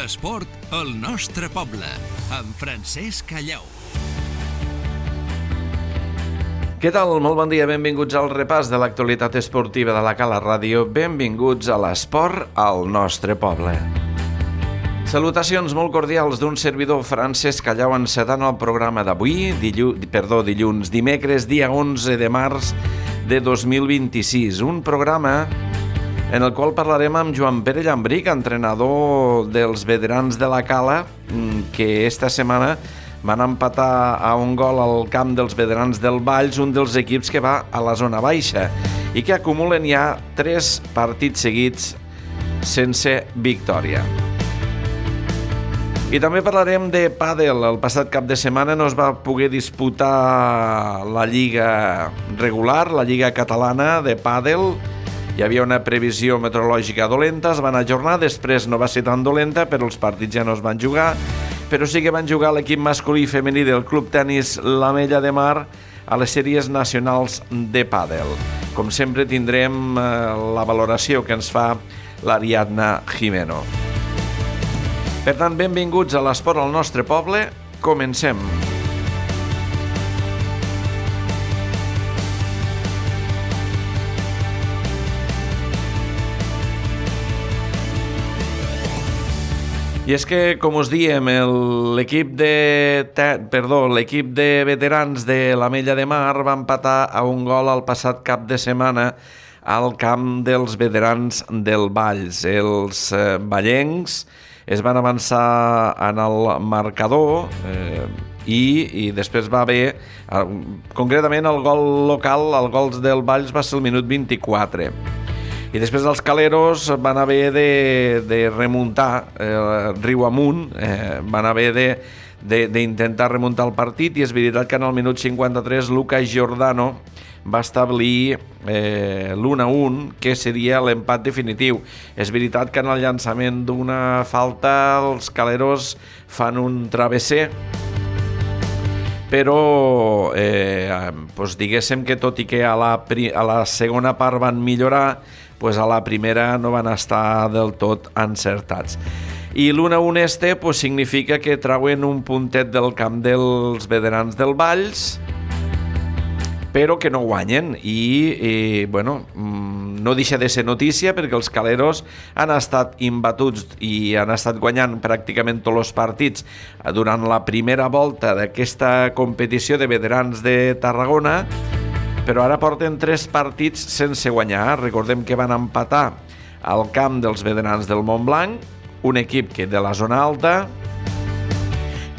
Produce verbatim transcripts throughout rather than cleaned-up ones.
L'esport al nostre poble, amb Francesc Callau. Què tal? Molt bon dia, benvinguts al repàs de l'actualitat esportiva de la Cala Ràdio. Benvinguts a l'esport al nostre poble. Salutacions molt cordials d'un servidor, Francesc Callau, encetant el programa d'avui, dillu... perdó, dilluns, dimecres, dia onze de març de dos mil vint-i-sis. Un programa en el qual parlarem amb Joan Pere Llambric, entrenador dels veterans de la Cala, que esta setmana van empatar a un gol al camp dels veterans del Valls, un dels equips que va a la zona baixa i que acumulen ja tres partits seguits sense victòria. I també parlarem de pàdel. El passat cap de setmana no es va poder disputar la lliga regular, la lliga catalana de pàdel. Hi havia una previsió meteorològica dolenta, es van ajornar, després no va ser tan dolenta, però els partits ja no es van jugar. Però sí que van jugar l'equip masculí i femení del Club Tenis l'Ametlla de Mar a les sèries nacionals de pàdel. Com sempre tindrem eh, la valoració que ens fa l'Ariadna Jimeno. Per tant, benvinguts a l'esport al nostre poble. Comencem. I és que, com us diem, l'equip de, perdó, l'equip de veterans de l'Ametlla de Mar va empatar a un gol el passat cap de setmana al camp dels veterans del Valls. Els eh, vallencs es van avançar en el marcador eh, i, i després va haver, eh, concretament el gol local, el gol del Valls va ser el minut vint-i-quatre. I després els caleros van haver de, de remuntar eh, riu amunt, eh, van haver de, de, d'intentar remuntar el partit, i és veritat que en el minut cinquanta-tres Lucas Giordano va establir eh, l'u a u, que seria l'empat definitiu. És veritat que en el llançament d'una falta els caleros fan un travesser, però eh, doncs diguéssim que tot i que a la, a la segona part van millorar, pues a la primera no van estar del tot encertats. I l'u a u este pues, significa que trauen un puntet del camp dels veterans del Valls, però que no guanyen. I, i bueno, no deixa de ser notícia perquè els caleros han estat imbatuts i han estat guanyant pràcticament tots els partits durant la primera volta d'aquesta competició de veterans de Tarragona, però ara porten tres partits sense guanyar. Recordem que van empatar al camp dels veterans del Montblanc, un equip que de la zona alta,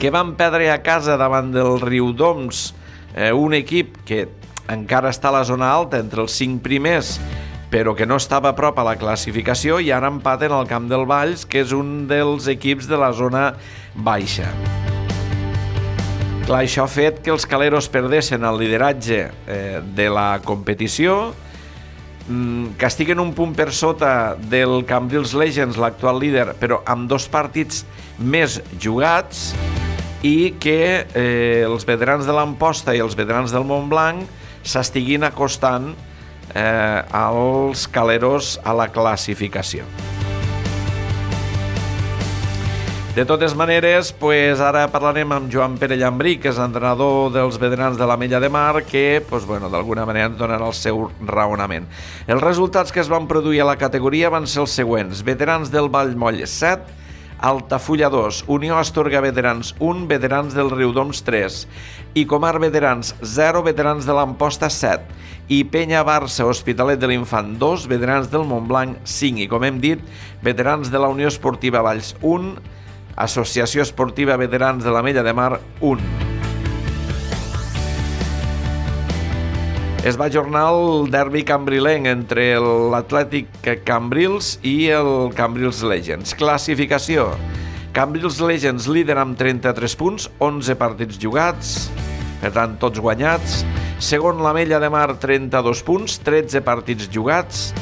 que van perdre a casa davant del Riudoms, eh, un equip que encara està a la zona alta, entre els cinc primers, però que no estava a prop a la classificació, i ara empaten al camp del Valls, que és un dels equips de la zona baixa. Clar, això ha fet que els caleros perdessin el lideratge eh, de la competició, mm, que estiguen un punt per sota del Cambrils Legends, l'actual líder, però amb dos partits més jugats, i que eh, els veterans de l'Amposta i els veterans del Montblanc s'estiguin acostant eh, als caleros a la classificació. De totes maneres, pues ara parlarem amb Joan Pere Llambric, que és entrenador dels veterans de l'Ametlla de Mar, que pues, bueno, d'alguna manera ens donarà el seu raonament. Els resultats que es van produir a la categoria van ser els següents: veterans del Vallmoll set, Altafulla dos, Unió Astorga Veterans un, veterans del Riudoms tres, i Comar Veterans zero, veterans de l'Amposta set, i Penya Barça Hospitalet de l'Infant dos, veterans del Montblanc cinc, i com hem dit, veterans de la Unió Esportiva Valls un, Associació Esportiva Veterans de l'Ametlla de Mar un. Es va ajornar el derbi cambrilenc entre l'Atlètic Cambrils i el Cambrils Legends. Classificació: Cambrils Legends líder amb trenta-tres punts, onze partits jugats, per tant tots guanyats. Segon, l'Ametlla de Mar, trenta-dos punts, tretze partits jugats.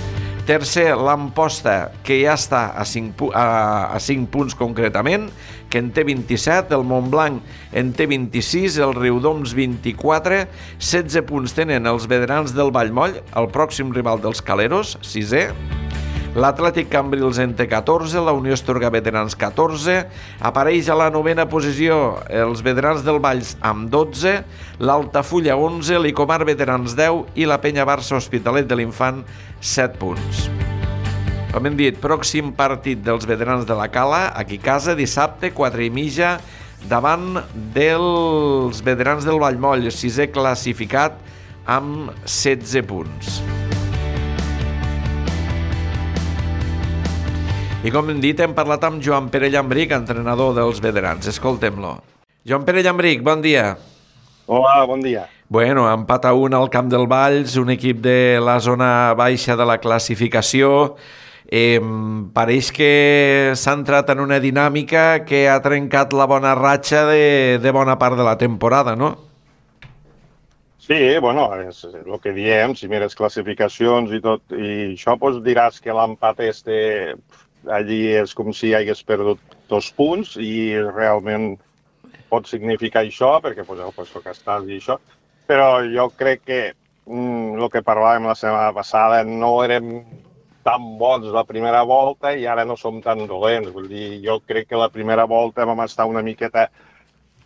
Tercer, l'Amposta, que ja està a cinc, a, a cinc punts concretament, que en té vint-i-set, el Montblanc en té vint-i-sis, el Riudoms vint-i-quatre, setze punts tenen els veterans del Vallmoll, el pròxim rival dels caleros, sisè. L'Atlètic Cambrils en té catorze, la Unió Estorga Veterans catorze, apareix a la novena posició els Veterans del Valls amb dotze, l'Altafulla onze, l'Icomar Veterans deu i la Penya Barça Hospitalet de l'Infant set punts. Com hem dit, pròxim partit dels Veterans de la Cala, aquí a casa, dissabte, quatre i mitja, davant dels Veterans del Vallmoll, sisè classificat amb setze punts. I com hem dit, hem parlat amb Joan Pere Llambric, entrenador dels Veterans. Escoltem-lo. Joan Pere Llambric, bon dia. Hola, bon dia. Bueno, empat a un al Camp del Valls, un equip de la zona baixa de la classificació. Eh, pareix que s'ha entrat en una dinàmica que ha trencat la bona ratxa de, de bona part de la temporada, no? Sí, bueno, és el que diem, si mires classificacions i tot, i això doncs diràs que l'empat este allí és com si hagués perdut dos punts i realment pot significar això, perquè pues, el puesto que estàs i això, però jo crec que mm, el que parlàvem la setmana passada no érem tan bons la primera volta i ara no som tan dolents. Vull dir, jo crec que la primera volta vam estar una miqueta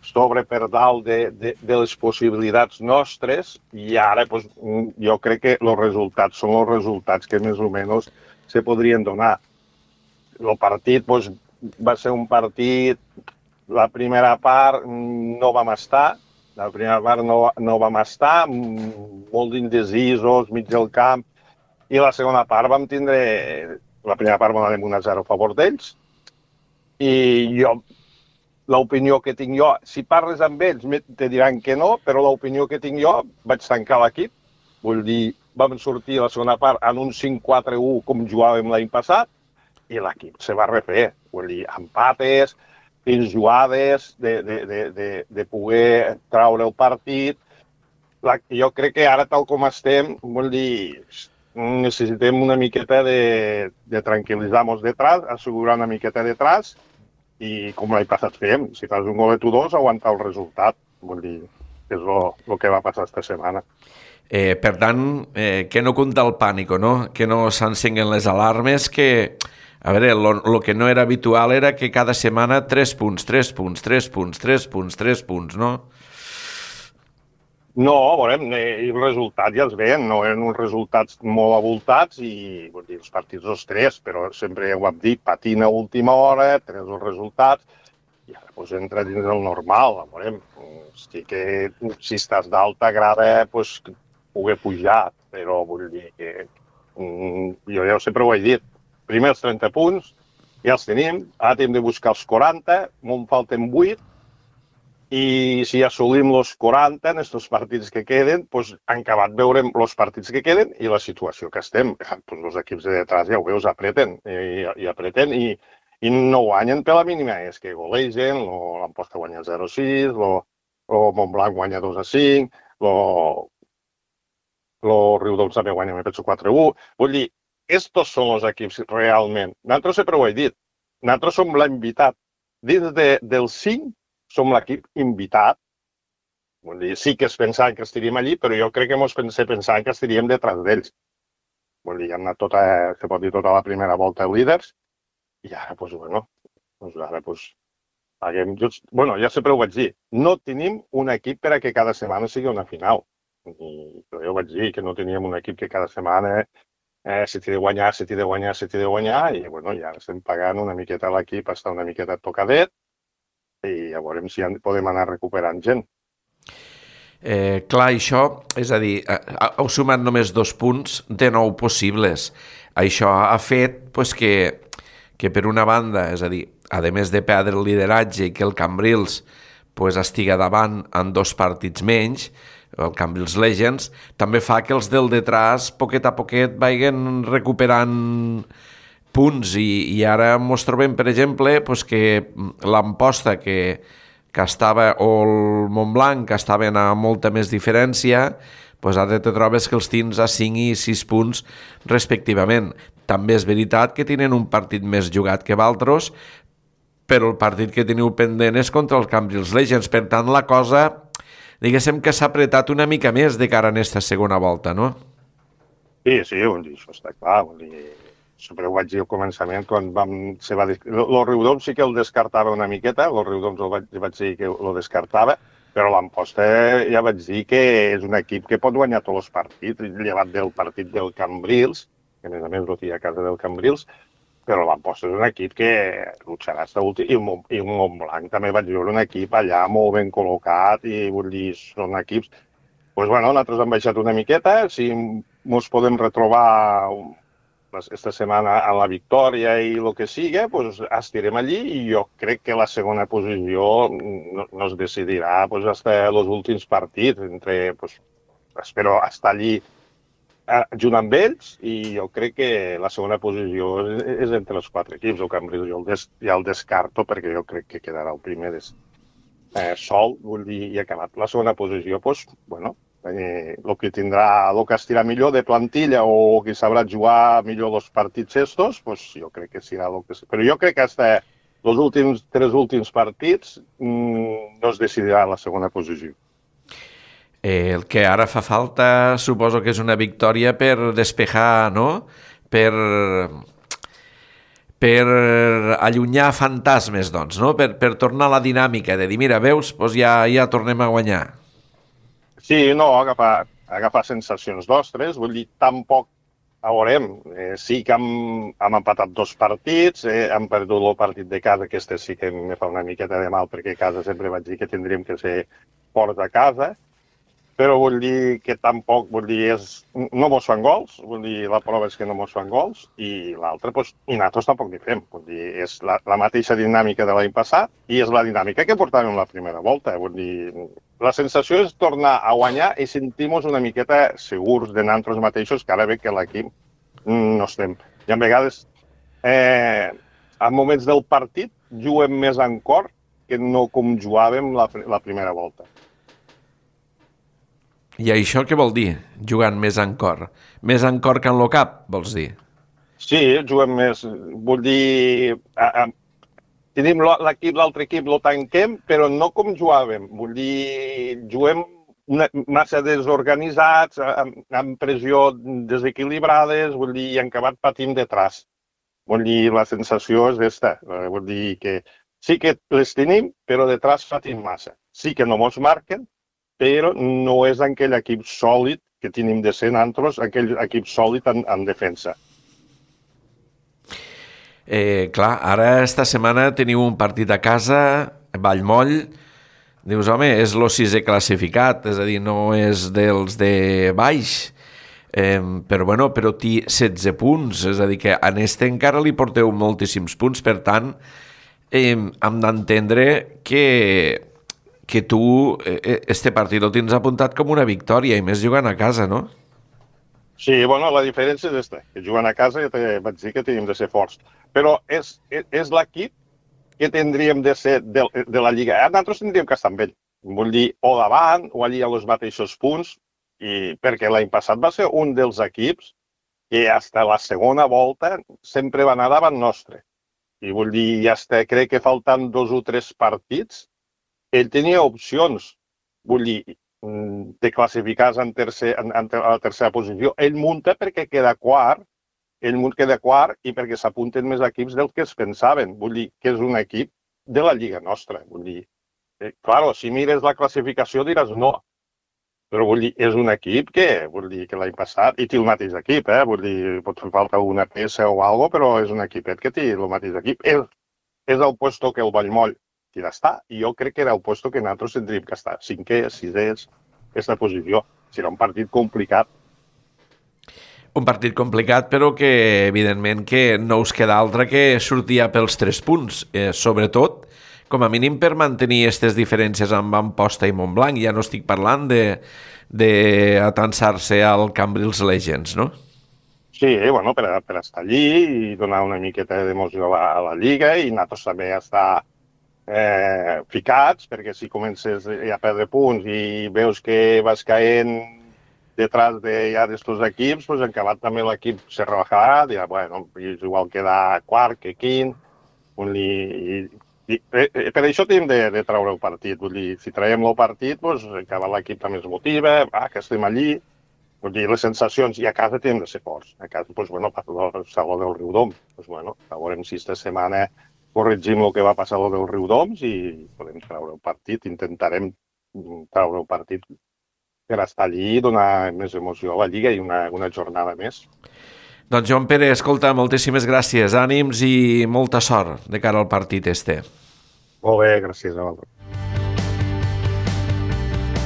sobre per dalt de, de, de les possibilitats nostres i ara pues, jo crec que els resultats són els resultats que més o menys se podrien donar. El partit pues, va ser un partit, la primera part no vam estar, la primera part no, no vam estar, molt indecisos, mig del camp, i la segona part vam tindre, la primera part vam anar un a zero a favor d'ells, i jo, l'opinió que tinc jo, si parles amb ells te diran que no, però l'opinió que tinc jo, vaig tancar l'equip, vull dir, vam sortir a la segona part en un cinc quatre u com jugàvem l'any passat, i l'equip se va refer, vull dir, empates, fins jugades, de, de, de, de, de poder traure el partit. La, jo crec que ara, tal com estem, vol dir, necessitem una miqueta de, de tranquil·litzar-nos detrás, assegurar una miqueta detrás, i com l'any passat fem, si fas un golet o dos, aguantar el resultat, vol dir, és el que va passar esta setmana. Eh, per tant, eh, que no compta el pànic, no? Que no s'encenguen les alarmes, que... A veure, el que no era habitual era que cada setmana tres punts, tres punts, tres punts, tres punts, tres punts, no? No, veurem, els resultats ja els veiem, no eren uns resultats molt avoltats i vull dir, els partits els tres, però sempre ho hem dit, patina a última hora, tres els resultats, i ara pues, entra dins el normal, veurem. Hosti, que si estàs dalt t'agrada pues, poder pujar, però vull dir que jo ja sempre ho he dit, primer els trenta punts, ja els tenim, ara hem de buscar els quaranta, me'n falten vuit, i si assolim els quaranta en aquests partits que queden, doncs en acabat veurem els partits que queden i la situació que estem. Doncs els equips de detrás, ja ho veus, apreten, i, i apreten, i, i no guanyen per la mínima, és que golegen, l'Amposta guanya zero a sis, el Montblanc guanya dos a cinc, el Riudoms també guanya, me penso, quatre a u, vull dir, estos són els equips realment. Nosaltres sempre ho he dit. Nosaltres som l'invitat. Dins de, del cinc som l'equip invitat. Vull dir, sí que es pensaven que estaríem allí, però jo crec que ens pensaven que estaríem detrás d'ells. Vull dir, hem anat tota, se pot dir, tota la primera volta líders i ara, doncs, bueno, doncs ara, doncs, haguem, just, bueno, ja sempre ho vaig dir, no tenim un equip per a que cada setmana sigui una final. I jo vaig dir que no teníem un equip que cada setmana Eh, se t'hi de guanyar, se t'hi de guanyar, se t'hi de guanyar, i bueno, ja estem pagant una miqueta a l'equip, està una miqueta tocadet, i ja veurem si podem anar recuperant gent. Eh, clar, això, és a dir, heu sumat només dos punts de nou possibles. Això ha fet pues, que, que per una banda, és a dir, a més de perdre el lideratge i que el Cambrils pues, estiga davant en dos partits menys, el Cambrils Legends, també fa que els del detrás, poquet a poquet, vagin recuperant punts i, i ara ens trobem, per exemple, pues, que l'Amposta, que, que estava, o el Montblanc, que estaven a molta més diferència, pues ara te trobes que els tens a cinc i sis punts respectivament. També és veritat que tenen un partit més jugat que d'altres, però el partit que teniu pendent és contra el Cambrils Legends. Per tant, la cosa... diguéssim que s'ha apretat una mica més de cara a aquesta segona volta, no? Sí, sí, això està clar. sempre ho vaig dir al començament, quan vam... Se va... El Riudoms sí que el descartava una miqueta, el Riudoms el vaig, vaig dir que el descartava, però l'Amposta ja vaig dir que és un equip que pot guanyar tots els partits, llevat del partit del Cambrils, que a més a més no té a casa del Cambrils, però l'Amposta és un equip que lucharà fins últim, i, i el Montblanc també vaig veure un equip allà molt ben col·locat, i vull dir, són equips... Doncs pues, bueno, nosaltres hem baixat una miqueta, si ens podem retrobar aquesta setmana a la victòria i el que sigui, pues, estirem allí i jo crec que la segona posició no, no es decidirà pues, fins als últims partits. Entre, pues, espero estar allí eh, junt amb ells i jo crec que la segona posició és, és entre els quatre equips. El Cambrils jo el des, ja el descarto perquè jo crec que quedarà el primer des, eh, sol, vull dir, i acabat. La segona posició, pues, bueno, Eh, el que tindrà, el que estirà millor de plantilla o que sabrà jugar millor els partits estos, pues jo crec que serà el que... Però jo crec que hasta els últims tres últims partits mmm, no es decidirà la segona posició. Eh, el que ara fa falta suposo que és una victòria per despejar, no? Per... per allunyar fantasmes, doncs, no? Per, per tornar a la dinàmica de dir, mira, veus, doncs ja, ja tornem a guanyar. Sí, no, agafar, agafar sensacions nostres, vull dir, tampoc veurem. Eh, sí que hem, hem empatat dos partits, eh, hem perdut el partit de casa, que este sí que em fa una miqueta de mal, perquè a casa sempre vaig dir que tindríem que ser forts a casa, però vull dir que tampoc, vull dir, és, no mos fan gols, vull dir, la prova és que no mos fan gols, i l'altra, doncs, i nosaltres tampoc n'hi fem, vull dir, és la, la mateixa dinàmica de l'any passat, i és la dinàmica que portàvem la primera volta, vull dir, la sensació és tornar a guanyar i sentir-nos una miqueta segurs de nosaltres mateixos, que ara ve que l'equip no estem. I a vegades, eh, en moments del partit, juguem més en cor que no com jugàvem la, la primera volta. I això què vol dir, jugant més en cor? Més en cor que en lo cap, vols dir? Sí, juguem més. Vull dir, a, a, tenim l'equip, l'altre equip, lo tanquem, però no com jugàvem. Vull dir, juguem una, massa desorganitzats, amb, amb pressió desequilibrades, vull dir, i en acabat patim detrás. Vull dir, la sensació és aquesta. Vull dir que sí que les tenim, però detrás patim massa. Sí que no mos marquen, però no és aquell equip sòlid que tenim de ser nosaltres, aquell equip sòlid en, en defensa. Eh, clar, ara esta setmana teniu un partit a casa, Vallmoll, dius, home, és el sisè classificat, és a dir, no és dels de baix, eh, però bueno, però té setze punts, és a dir, que en este encara li porteu moltíssims punts, per tant, eh, hem d'entendre que... que tu este partit el tens apuntat com una victòria, i més jugant a casa, no? Sí, bueno, la diferència és aquesta, que jugant a casa ja te vaig dir que tenim de ser forts, però és, és, és l'equip que tindríem de ser de, de la Lliga. Nosaltres tindríem que estar amb ell, vull dir, o davant, o allí a els mateixos punts, i perquè l'any passat va ser un dels equips que fins a la segona volta sempre va anar davant nostre. I vull dir, ja està, crec que faltant dos o tres partits, ell tenia opcions, vull dir, de classificar-se en, tercer, en, en la tercera posició. Ell munta perquè queda quart, ell munta queda quart i perquè s'apunten més equips del que es pensaven. Vull dir que és un equip de la Lliga nostra. Vull dir, eh, claro, si mires la classificació diràs no, però vull dir, és un equip que, vull dir, que l'any passat, i té el mateix equip, eh? Vull dir, pot fer falta una peça o alguna cosa, però és un equipet que té el mateix equip. És, és el puesto que el Vallmoll i ja està. I jo crec que era el puesto que nosaltres tindríem que estar. Cinquè, sisès, aquesta posició. Serà un partit complicat. Un partit complicat, però que, evidentment, que no us queda altra que sortir pels tres punts. Eh, sobretot, com a mínim, per mantenir aquestes diferències amb Amposta i Montblanc. Ja no estic parlant de, de atansar-se al Cambrils Legends, no? Sí, bueno, per, per estar allí i donar una miqueta d'emoció a la, a la Lliga i nosaltres també estar Eh, ficats, perquè si comences a perdre punts i veus que vas caent detrás de ja d'estos equips, pues, en acabat també l'equip se rebajarà, dirà, bueno, és igual quedar quart que quint, i, i, i, per això tenim de, de treure el partit, vull dir, si traiem el partit, pues, acabat l'equip també es motiva, ah, que estem allí, vull dir, les sensacions, i a casa tenen de ser forts. A casa, doncs, bueno, passa el Saló del Riudoms. Doncs, bueno, veurem si esta setmana corregim el que va passar a lo del Riudoms i podem treure el partit, intentarem treure el partit per estar allí i donar més emoció a la Lliga i una, una jornada més. Doncs Joan Pere, escolta, moltíssimes gràcies, ànims i molta sort de cara al partit este. Molt bé, gràcies a vosaltres.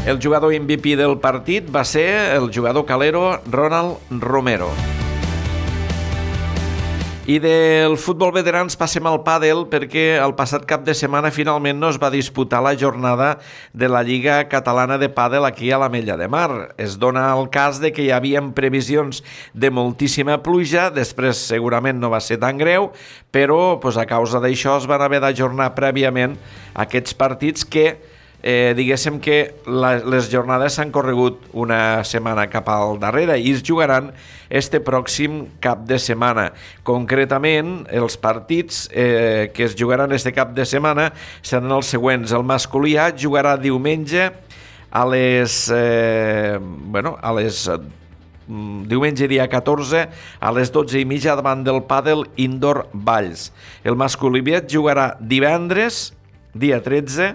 El jugador M V P del partit va ser el jugador calero Ronald Romero. I del futbol veterans passem al pàdel perquè el passat cap de setmana finalment no es va disputar la jornada de la Lliga Catalana de Pàdel aquí a l'Ametlla de Mar. Es dona el cas de que hi havia previsions de moltíssima pluja, després segurament no va ser tan greu, però pues, a causa d'això es van haver d'ajornar prèviament aquests partits que Eh, diguéssim que la, les jornades s'han corregut una setmana cap al darrere i es jugaran este pròxim cap de setmana. Concretament, els partits eh, que es jugaran este cap de setmana seran els següents. El masculí A jugarà diumenge a les... Eh, bueno, a les... diumenge dia catorze a les dotze i mitja davant del Pàdel Indoor Valls. El masculí B jugarà divendres, dia tretze,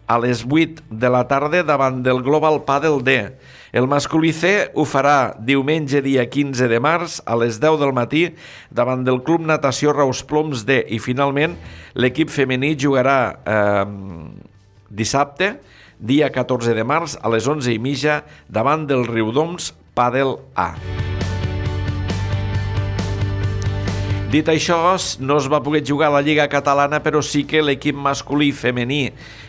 a les vuit de la tarda davant del Global Pàdel D. El masculí C ho farà diumenge dia quinze de març a les deu del matí davant del Club Natació Raus Ploms D. I finalment l'equip femení jugarà eh, dissabte, dia catorze de març a les onze i mitja davant del Riudoms Pàdel A. Dit això, no es va poder jugar a la Lliga Catalana, però sí que l'equip masculí i femení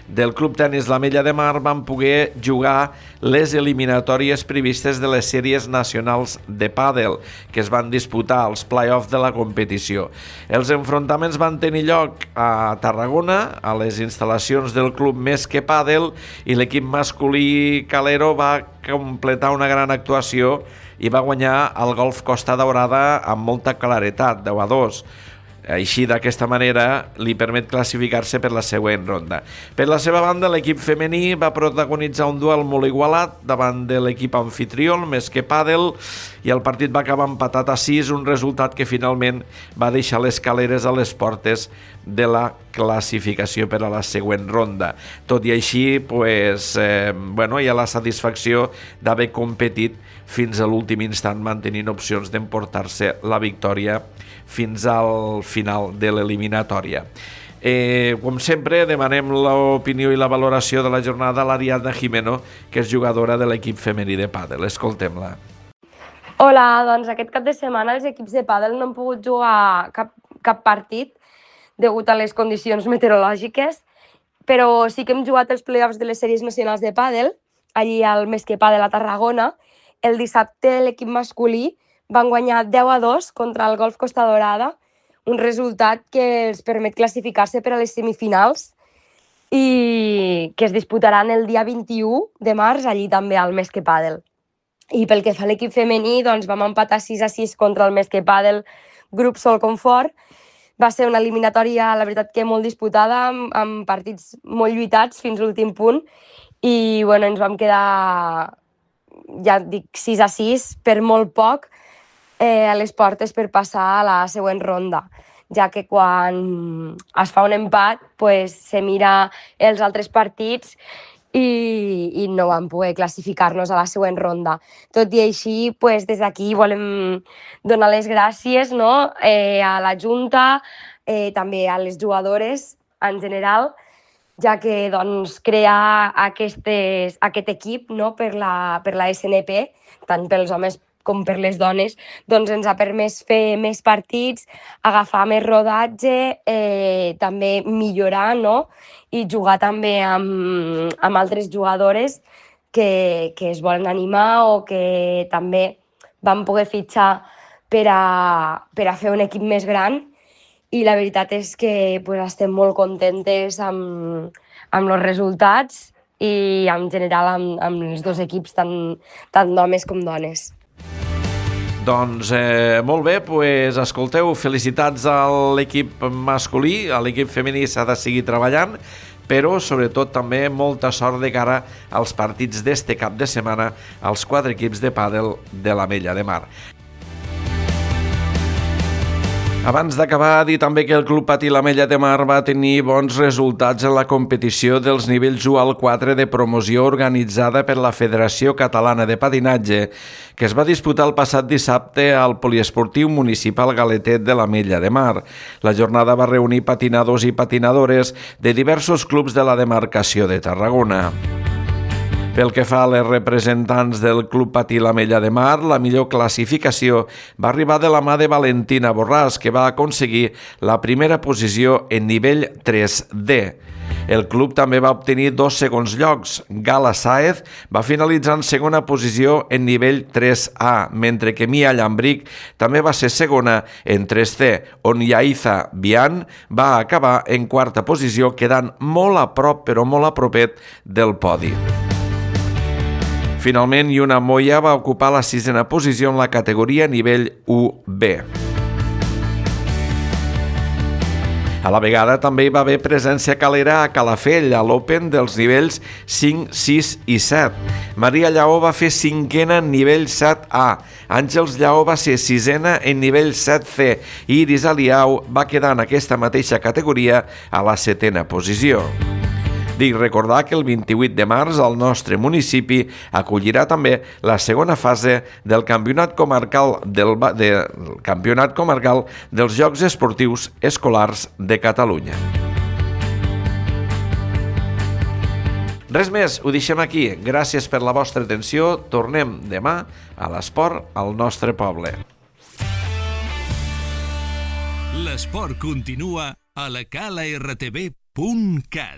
del Club Tenis l'Ametlla de Mar van poder jugar les eliminatòries previstes de les sèries nacionals de pàdel que es van disputar als play-off de la competició. Els enfrontaments van tenir lloc a Tarragona, a les instal·lacions del Club Més que Pàdel, i l'equip masculí calero va completar una gran actuació i va guanyar el Golf Costa Daurada amb molta claretat, deu a dos. Així, d'aquesta manera, li permet classificar-se per la següent ronda. Per la seva banda, l'equip femení va protagonitzar un duel molt igualat davant de l'equip anfitrió, Més que Pàdel, i el partit va acabar empatat a sis, un resultat que finalment va deixar les caleres a les portes de la classificació per a la següent ronda. Tot i així, pues, eh, bueno, hi ha la satisfacció d'haver competit fins a l'últim instant, mantenint opcions d'emportar-se la victòria fins al final de l'eliminatòria. Eh, com sempre, demanem l'opinió i la valoració de la jornada a l'Ariadna Jimeno, que és jugadora de l'equip femení de pàdel. Escoltem-la. Hola, doncs aquest cap de setmana els equips de pàdel no han pogut jugar cap, cap partit degut a les condicions meteorològiques, però sí que hem jugat els play-offs de les sèries nacionals de pàdel, allí al Més que Pàdel a Tarragona. El dissabte l'equip masculí van guanyar deu a dos contra el Golf Costa Daurada, un resultat que els permet classificar-se per a les semifinals i que es disputaran el dia vint-i-u de març, allí també al Més que Pàdel. I pel que fa a l'equip femení, doncs vam empatar sis a sis contra el Més que Pàdel, grup Sol Confort. Va ser una eliminatòria, la veritat, que molt disputada, amb, amb partits molt lluitats fins l'últim punt, i bueno, ens vam quedar, ja dic, sis a sis, per molt poc, eh, a les portes per passar a la següent ronda, ja que quan es fa un empat pues, se mira els altres partits i, i no vam poder classificar-nos a la següent ronda. Tot i així, pues, des d'aquí volem donar les gràcies, no? eh, a la Junta, eh, també a les jugadores en general, ja que doncs, crear aquestes, aquest equip, no? per, la, per la S N P, tant pels homes com per les dones, doncs ens ha permès fer més partits, agafar més rodatge, eh, també millorar, no? I jugar també amb, amb altres jugadores que, que es volen animar o que també van poder fitxar per a, per a fer un equip més gran. I la veritat és que pues, estem molt contentes amb, amb els resultats i en general amb, amb els dos equips, tant, tant d'homes com dones. Doncs eh, molt bé, pues, escolteu, felicitats a l'equip masculí, a l'equip femení s'ha de seguir treballant, però sobretot també molta sort de cara als partits d'este cap de setmana als quatre equips de pàdel de l'Ametlla de Mar. Abans d'acabar, dir també que el Club Patí l'Ametlla de Mar va tenir bons resultats en la competició dels nivells u al quatre de promoció organitzada per la Federació Catalana de Patinatge, que es va disputar el passat dissabte al Poliesportiu Municipal Galetet de l'Ametlla de Mar. La jornada va reunir patinadors i patinadores de diversos clubs de la demarcació de Tarragona. Pel que fa a les representants del Club Patí l'Ametlla de Mar, la millor classificació va arribar de la mà de Valentina Borràs, que va aconseguir la primera posició en nivell tres D. El club també va obtenir dos segons llocs. Gala Sáez va finalitzar en segona posició en nivell tres A, mentre que Mia Llambric també va ser segona en tres C, on Yaiza Bian va acabar en quarta posició, quedant molt a prop, però molt a propet del podi. Finalment, Yuna Moya va ocupar la sisena posició en la categoria nivell u B. A la vegada també hi va haver presència calera a Calafell, a l'Open dels nivells cinc, sis i set. Maria Lleó va fer cinquena en nivell set A, Àngels Lleó va ser sisena en nivell set C i Iris Aliau va quedar en aquesta mateixa categoria a la setena posició. Dic recordar que el vint-i-vuit de març el nostre municipi acollirà també la segona fase del Campionat Comarcal, del, de, Campionat Comarcal dels Jocs Esportius Escolars de Catalunya. Res més, ho deixem aquí. Gràcies per la vostra atenció. Tornem demà a l'esport al nostre poble. L'esport continua a la cala r t v punt cat.